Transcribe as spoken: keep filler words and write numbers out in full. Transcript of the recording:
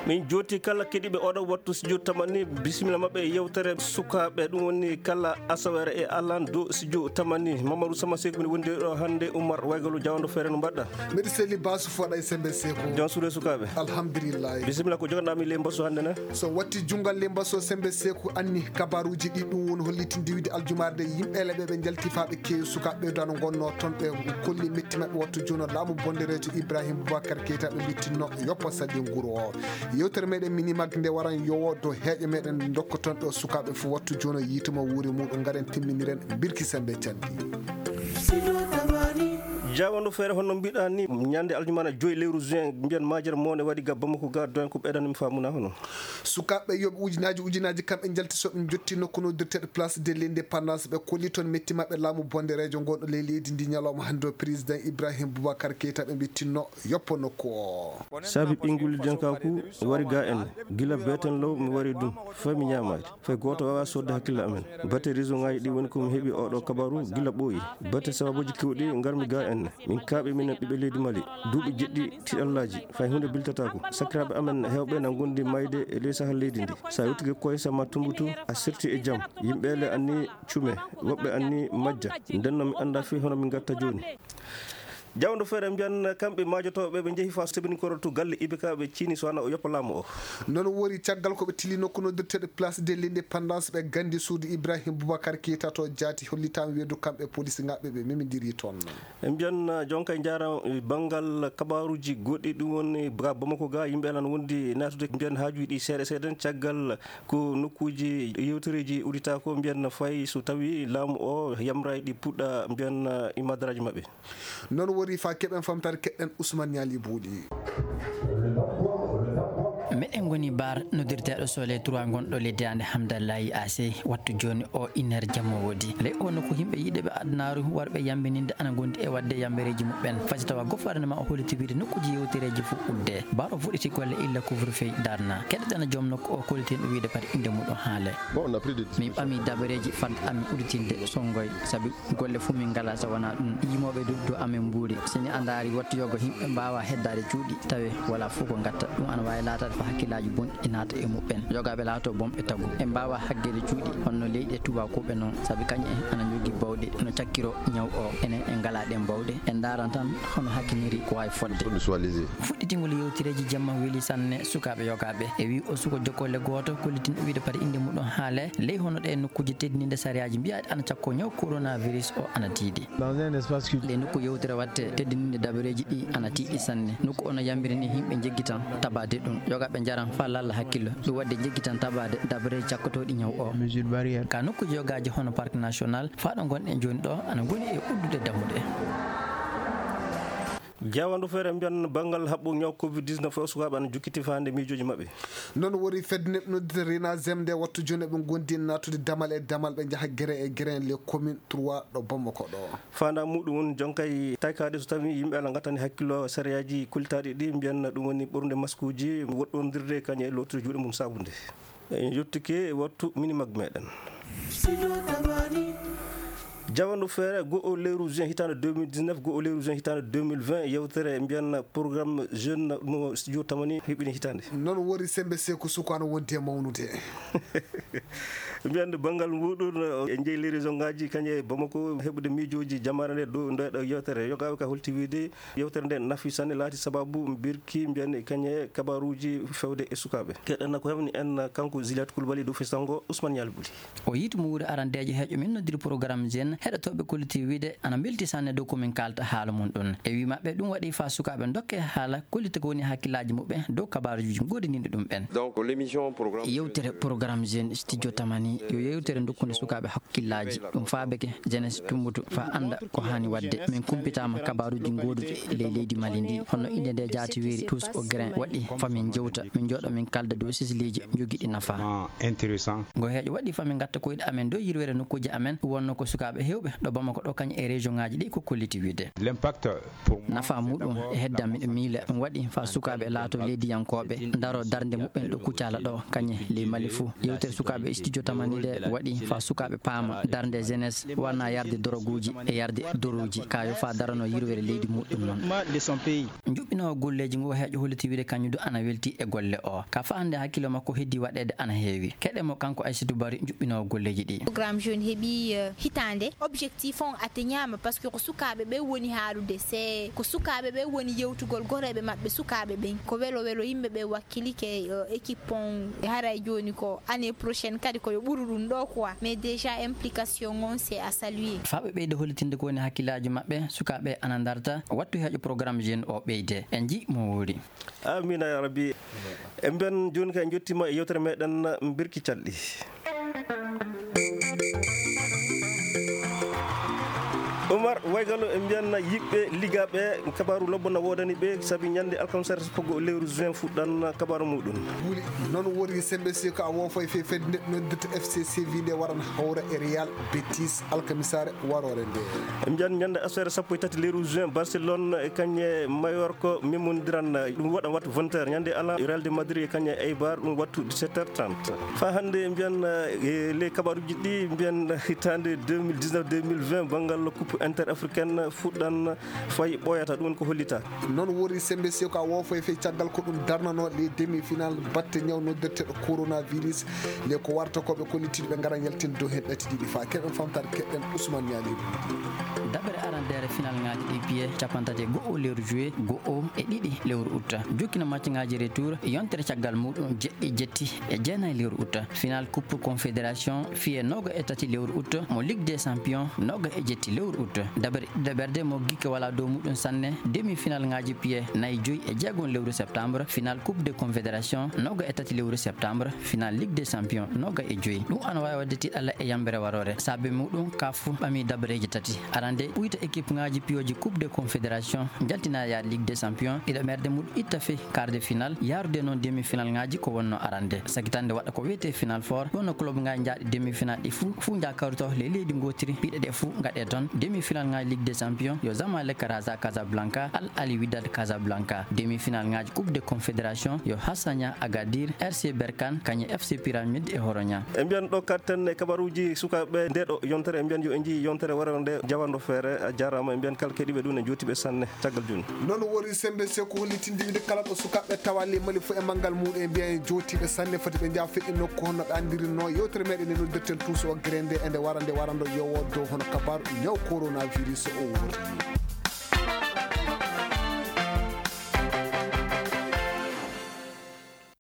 Min jooti kala keɗiiɓe oɗo wattu studio Tamani, bisimilla maɓɓe e yewtere sukaaɓe. Ɗum woni kala asaweere e alan dow studio Tamani. Mamadou Sama Seck mino wondi ɗo hannde, Oumar Waygalo Jawando Feere, no mbaɗɗa? Mbeɗa selli Basu Foɗa e Sembe Seku. Jom suudu e sukaaɓe. Alhamdulillahi. Bisimilla, ko joganɗa mi ley mbasu hannde na? So watti junngal ley mbasu Sembe Seku anni kabaruuji ɗi, ɗum woni hollitinde wiyde aljumaare nde yimɓe leɓe ɓe njalti faa ɓe keewi sukaaɓe ɓe dano ngonnoo toon ɓe kolli metti maɓɓe wattu jooni laamu bondereejo Ibrahim Boubacar Keita ɓe mbittinno yoppa salli nguru o. Yewtere meɗen Minimak nde waran yowo dow heeƴo meɗen nde ndokkoton ɗo sukaaɓe fof wattu jooni yiituma wuuri muɗum ngaren timminiren birki sembe canɗi. Jawando Feere, hono mbiɗa ni, ñande aljumaana joyi lewru juin, mbiyan majere mone waɗi ga Bamako ga, don ko ɓeydana mi faamuna hono? Sukaaɓe yoɓe ujunaaji ujunaaji kamɓe njalti so ɓe njotti nokku noddirteeɗo Place de l'Indépendance, ɓe kolli toon metti maɓɓe laamu bondereejo ngon ɗo ley leydi ndi ñalawma hannde o, président Ibrahim Boubacar Keita ɓe mbittinno yoppo nokku o. Saabi ɓinngol jankaku wari ga en, gila beeten law mi wari ɗum, fay mi ñaamaade. Fay gooto waawaa soodde hakkille amen. Bate réseau ŋaaji ɗi woni ko mi heɓi oɗo kabaru gila ɓooyi. Bate sababuuji keewɗi ngarmi ga en. Min kaaɓe minen ɓiɓɓe leydi Mali. Duuɓi jeɗɗi tiɗallaaji. Fay huunde biltataako. Sakiraaɓe amen heewɓe na ngondi mayde e ley sahal leydi ndi. So a yewtike koye sama tumbutu, a serti e jam. Yimɓe le anni cume, woɓɓe anni majja. Ndenno mi annda fii hono min ngatta jooni. Jawndo Feere mbiyan kamɓe maajotooɓe ɓe njehi faa sebini korotu galle Ibeka ɓe ciini so wana o yoppa laamu o. Noon wori caggal ko ɓe tili nokku noddirteeɗo Place de l'Indépendance ɓe gandi suudu Ibrahim Boubacar Keita to jaati hollitaama weedu kamɓe police ŋaaɓe ɓe memidiri toon. E mbiyan jonka e njaara banngal kabaruuji goɗɗi ɗum woni ga Bamako ga yimɓe alan wondi naatude mbiyan haajuuji ɗi seeɗa seeɗa caggal ko nokkuuji yewtereeji udditaako mbiyan fay so tawi laamu o yamraay ɗi puɗɗa mbiyan imadaraaji maɓɓe. Noon wori faa keɓen famtaare keɗɗen Ousmane Niali Buuɗi. Meɗen ngoni bar noddirteeɗo Soleil trois ngonɗo ley daande Hamdallahi A C wattu jooni o iner jamma woodi. Ley o nokku yimɓe yiɗeɓe adunaaru warɓe yambininde ana ngondi e waɗde yambereeji muɓɓen. Fasi tawa gouvernement o holliti wiide nokkuuji yewtereeji fof udde. Bar o fuɗɗiti golle illa couvre-feu darna. Keɗoɗen joom nokku o kollitin o wiide pati innde muɗum haale. Min ɓami dabareeji fadde amin udditinde sonngoy sabi golle fof min ngalaa so wonaa ɗum. Yimooɓe du dow amen mbuuri. So ni a ndaari wattu yogo yimɓe mbaawa heddaade cuuɗi tawe wala fof ko ngatta. Ɗum ana waawi laataade ko hakkillaaji bonɗi naata e muɓɓen. Yogaaɓe laato bonɓe tagu. En mbaawa haggeede cuuɗi honno leyɗe tuubakooɓe noon sabi kañum en ana njogii bawɗe no cakkiro ñaw o. Enen en ngalaa ɗeen bawɗe. En ndaaran tan hono hakkiniri ko waawi fodde. Fuɗɗitingol yewtereeji jamma weli sanne sukaaɓe yogaaɓe. E wii o suko jokkolle gooto kollitinɗo wiide pati innde muɗum haale ley hono ɗe nokkuuji teddininde sariyaaji mbiyaaɗi ana cakko ñaw coronavirus o ana tiiɗi. Ɗe nokku yewtere waɗte teddininde dabareeji ɗi ana tiiɗi sanne. Nokku o no yambiri ni yimɓe njeggitan tabaade ɗum. Yogaaɓe njaran faa lalla hakkillo. Ɗum waɗde njeggitan tabaade dabareeji cakkotooɗi ñaw o. Ka nokkuuji yogaaji hono Parc National faa ɗo ngonɗen jooni ɗo ana ngoni e uddude dammuɗe. Jawandu feere mbiyan banngal haɓɓu ñaw covid dix-neuf o sukaaɓe ana jokkiti faande miijooji maɓɓe. Noon wori fedde neɗɗo noddita Rena Zem nde wattu jooni eɓe ngondi naatude damal e damal ɓe njaha gere e gere les communes trois ɗo Bamako ɗo. Faandaa muɗum woni jonkay taykaade so tawi yimɓe ala ngattani hakkillo sariyaaji kullitaaɗi ɗi mbiyan ɗum woni ɓornude maskuuji, woɗɗondirde kañum e lootude juuɗe mum saabunde. En yottike wattu mini mag meɗen. Jawandu feere go'o lewru juin hitaande deux mille dix-neuf, go'o lewru juin hitaande deux mille vingt, yewtere mbiyan programme jeune mo studio Tamani heɓini hitaande. Noon wori sembe seku sukaano wonti e mawnude. Mbiyan banngal muɗum e jeyi les région ngaji kañe e Bamako heɓude miijooji jamaare nde dow nde ɗo yewtere. Yogaaɓe ka holti wiide yewtere nde nafi sanne laati sababu mbirki mbiyan kañe kabaruuji fewde e sukaaɓe. Keɗen ko heɓni en kanko Juliette Coulibaly dow fistango Ousmane Yalbuli. O yiiti mo wuuri arandeejo heeƴo min noddiri programme jeune heɗotooɓe kolliti wiide ana mbelti sanne dow ko min kaalta haala mum ɗum. E wii maɓɓe ɗum waɗi faa sukaaɓe ndokke haala kollita ko woni hakkillaaji muɓɓen dow kabaaruuji goodaniiɗi ɗum ɓen. Donc, l'émission programme. Yewtere programme jeune studio Tamani yo yewtere dokkunde sukaaɓe hakkillaaji. Ɗum faabeke jeunesse tumbutu faa annda ko haani waɗde. Min kumpitaama kabaaruuji gooduɗi ley leydi Mali ndi. Hono innde nde jaati wiiri tous au grain waɗi faa min jewta, min jooɗo min kalda dow sisiliiji jogiiɗi nafa. Intéressant. Ngo heeƴo waɗi faa min ngatta koyɗe amen dow yirwere nokkuuji amen wonno ko sukaaɓe heew Ɗo Bamako ɗo kañum e région ŋaaji ɗi ko kolliti wiide. Nafa muɗum e hedda miɗo miila ɗum waɗi faa sukaaɓe laato leydiyankooɓe, ndaro darnde muɓɓen ɗo Kucala ɗo, kañe ley Mali fuu. Yewtere sukaaɓe studio tamani nde waɗi faa sukaaɓe paama darnde jeunesse wanaa yarde doroguuji e yarde doruuji, kaa yo faa darano yirwere leydi muɗum noon. Njuɓɓinoowo golleeji ngo heeƴo holliti wiide kañum du ana welti e golle o. Ka faa hannde hakkillo makko heddii waɗeede ana heewi. Keɗe mo kanko Aysatu Bari njuɓɓinoowo golleeji ɗi. Programme jeune heɓi, eh, hitaande. Objectif on atteignaama parce que ko sukaaɓe ɓe woni haalude. Se ko sukaaɓe ɓe woni yewtugol goreeɓe maɓɓe sukaaɓe ɓen. Ko welo welo yimɓe ɓe wakkilike, eh, équipe on. Haray jooni ko année prochaine kadi ko yo ɓuru ɗum ɗo quoi. Mais déjà implication on c'est à saluer. Faa ɓe ɓeyda hollitinde ko woni hakkillaaji maɓɓe, sukaaɓe ana ndarta. Wattu heeƴo programme jeune o ɓeyde. En njii mo woori. Amiin yaa rabbi. En mbiyan jooni kay en njottiima e yewtere meɗen Mbirki Calɗi. Umar Waygalo, en mbiyan yiɓɓe ligaaɓe kabaaru lobbo na woodani ɓe, sabi ñande alkamsere sappo lewru juin fuɗɗan kabaaru muɗum. Wuli noon wori sembe si ko a woofo e fe fedde noddirta F C Séville nde waran hawra e Real Betis alkamisaare waroore nde. En mbiyan ñande asfere sappo e tati lewru juin, Barcelone e kañe Mallorca memondiran, ɗum waɗa wattu vingt heures. Ñande alarba, Real de Madrid e kañe Eibar, ɗum wattu dix-sept heures trente. Faa hannde mbiyan, eh, ley kabaruuji ɗi mbiyan hitaande deux mille dix-neuf deux mille vingt banngal coupe interafricaine fuɗɗan fay ɓooyata, ɗum woni ko hollita. Noon wori sembe si ko a woofo e fe caggal ko ɗum darnano les demi-finales batte ñaw noddirteɗo coronavirus. Nde ko warta ko ɓe kollitiiɗo ɓe ngara yaltin dow heen ɗati ɗiɗi faa keɗen famtaade keɗen Ousmane Niani. Daɓere arandeere final ŋaaji ɗi piye capanɗe tati e go'o lewru juillet go'o e ɗiɗi lewru août. Jokkina match ŋaaji retour yontere caggal muɗum jeɗɗi jetti e jeenayi lewru août. Final coupe confédération fiye nooga e tati lewru août mo Ligue des champions nooga e jetti lewru août. Daɓere ɗiɗaɓerde mo gikke wala dow muɗum sanne demi final ŋaaji piye nayi joyi e jeegon lewru septembre. Final coupe de confédération nooga e tati lewru septembre. Final Ligue des Champions nooga e joyi. Ɗum ana waawi waɗde tiiɗalla e yambere waroore. Saabe muɗum, kaf ɓami dabareeji tati. Arande, ɓuyta équipe ŋaaji piyooji Coupe de Confédération, njaltina yaade Ligue des Champions, ɗiɗaɓerde muɗum itta fey quart de finale, yaarude noon demi-finale ŋaaji ko wonno arande. Sagitande waɗa ko wiyetee Final Four, ɗum no club ŋaaji njaaɗi demi-finale ɗi fuu, fuu njaa kawrito ley leydi ngootiri, piɗe ɗe fuu ngaɗee toon. Demi-finale ŋaaji Ligue des Champions, yo Zamalek Raja Casablanca, Al Ahly Wydad Casablanca. Demi-finale ŋaaji Coupe de Confédération, yo Hassania Agadir, R C Berkane, kañum F C Pyramide e Horonia. En mbiyan ɗo katten e kabaruuji sukaaɓe nde ɗo yontere, en mbiyan yo en njii yontere warere nde jawanɗo feere. A jaaraama, en mbiyan kala keɗiiɓe ɗum en jootiiɓe sanne caggal jooni. Noon wori sembe se ko hollitinde wide kala ɗo sukaaɓe tawa ley Mali fof e manngal muɗum, en mbiyan en jootiiɓe sanne, foti ɓe njaa feƴƴi nokku hono ɓe anndirinno yewtere meɗen nde noddirten Tuuso Waggere nde e nde wara nde warando yowo dow hono kabaaru ñaw coronavirus o woni.